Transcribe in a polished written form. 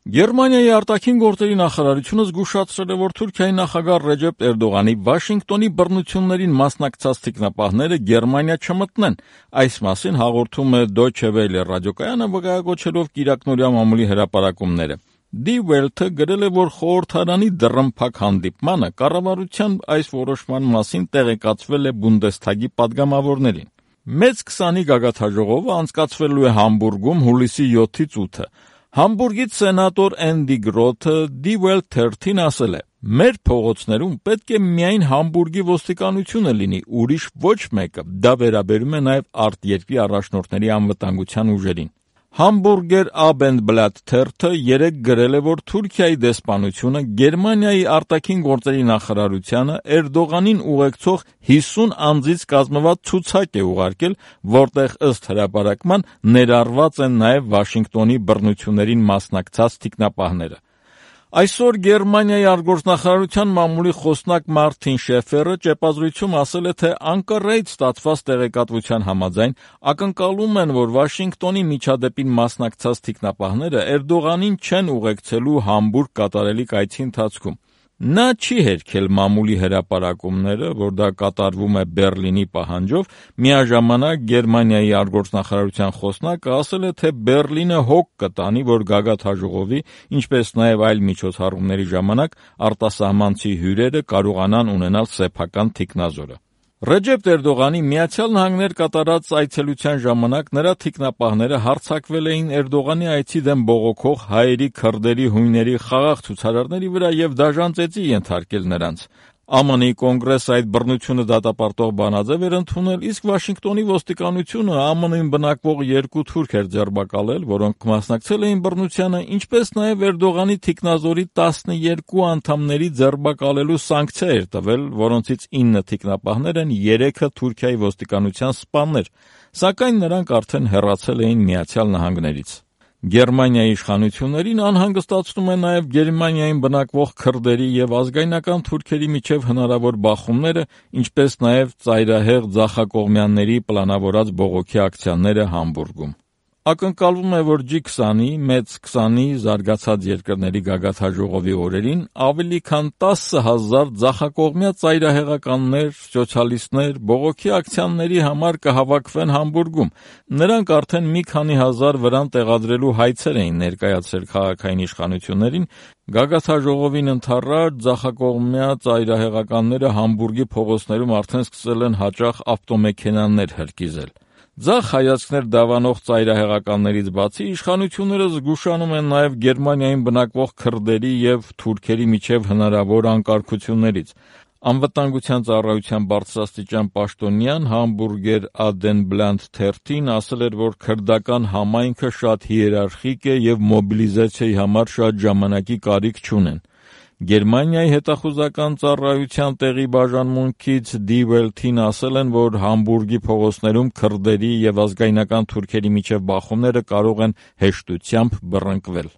Գերմանիայի արտաքին գործերի նախարարությունը զգուշացրել է, որ Թուրքիայի նախագահ Ռեջեփ Էրդողանի Վաշինգտոնի բռնություններին մասնակցած թիկնապահները Գերմանիա չմտնեն։ Այս մասին հաղորդում է Deutsche Welle ռադիոկայանը, վկայակոչելով կիրակնօրյա մամուլի հրապարակումները։ Die Welt-ը գրել է, որ խորհրդարանի դռնփակ հանդիպմանը կառավարության այս որոշման մասին տեղեկացվել է Բունդեսթագի պատգամավորներին։ Մեծ 20-ի գագաթնաժողովը անցկացվելու է Համբուրգում հուլիսի 7-ից 8-ը։ Համբուրգից սենատոր Էնդի Գրոթը Die Welt 13-ին ասել է. «Մեր փողոցներում պետք է միայն Համբուրգի ոստիկանությունը լինի, ուրիշ ոչ մեկը»։ Դա վերաբերում է նաև արտերկրի առաջնորդների անվտանգության ուժերին։ Hamburger Abendblatt թերթը երեկ գրել է, որ Թուրքիայի դեսպանությունը Գերմանիայի արտաքին գործերի նախարարությանը Էրդողանին ուղեկցող 50 անձից կազմված ցուցակ է ուղարկել, որտեղ ըստ հրապարակման ներառված են նաև Վաշինգտոնի բռնություններին մասնակցած թիկնապահները։ Այսօր Գերմանիայի արտգործնախարարության մամուլի խոսնակ Մարտին Շեֆերը ճեպազրույցում ասել է, թե Անկարայից ստացված տեղեկատվության համաձայն ակնկալում են, որ Վաշինգտոնի միջադեպին մասնակցած թիկնապահները Էրդողանին չեն ուղեկցելու Համբուրգ կատարելիք այցի ընթացքում։ Նա չի հերքել մամուլի հրապարակումները, որ դա կատարվում է Բեռլինի պահանջով, միաժամանակ Գերմանիայի արտգործնախարարության խոսնակը ասել է, թե Բեռլինը հոգ կտանի, որ գագաթնաժողովի, ինչպես նաև այլ միջոցառումների ժամանակ արտասահմանցի հյուրերը կարողանան ունենալ սեփական թիկնազորը։ Ռեջեփ Էրդողանի Միացյալ Նահանգներ կատարած այցելության ժամանակ նրա թիկնապահները հարձակվել էին Էրդողանի այցի դեմ բողոքող հայերի, քրդերի, հույների խաղաղ ցուցարարների վրա և դաժան ծեծի ենթարկել նրանց։ ԱՄՆ-ի կոնգրեսը այդ բռնությունը դատապարտող բանաձև էր ընդունել, իսկ Վաշինգտոնի ոստիկանությունը ԱՄՆ-ին բնակվող 2 թուրք էր ձերբակալել, որոնք մասնակցել էին բռնությանը, ինչպես նաև Էրդողանի թիկնազորի 12 անդամների ձերբակալելու սանկցիա էր տվել, որոնցից 9 թիկնապահներ են, 3-ը Թուրքիայի ոստիկանության սպաներ, սակայն նրանք արդեն հեռացել էին Միացյալ Նահանգներից։ Գերմանիայի իշխանություններին անհանգստացնում է նաև Գերմանիայում բնակվող քրդերի և ազգայնական թուրքերի միջև հնարավոր բախումները, ինչպես նաև ծայրահեղ ձախակողմյանների պլանավորած բողոքի ակցիաները Համբուրգում։ Ակնկալվում է, որ G20-ի, Մեծ 20-ի զարգացած երկրների գագաթնաժողովի օրերին ավելի քան 10,000 ձախակողմյա ծայրահեղականներ, սոցիալիստներ բողոքի ակցիաների համար կհավաքվեն Համբուրգում։ Նրանք արդեն մի քանի հազար վրան տեղադրելու հայցեր էին ներկայացրել քաղաքային իշխանություններին։ Գագաթնաժողովին ընդառաջ ձախակողմյա ծայրահեղականները Համբուրգի փողոցներում արդեն սկսել են հաճախ ավտոմեքենաներ հրկիզել։ Ձախ հայացքներ դավանող ծայրահեղականներից բացի իշխանությունները զգուշանում են նաև Գերմանիայում բնակվող քրդերի և թուրքերի միջև հնարավոր անկարգություններից։ Անվտանգության ծառայության բարձրաստիճան պաշտոնյան Hamburger Abendblatt թերթին ասել էր, որ քրդական համայնքը շատ հիերարխիկ է և մոբիլիզացիայի համար շատ ժամանակի կարիք չունեն։ Գերմանիայի հետախուզական ծառայության տեղի բաժանմունքից Die Welt-ին ասել են, որ Համբուրգի փողոցներում քրդերի և ազգայնական թուրքերի միջև բախումները կարող են հեշտությամբ բռնկվել։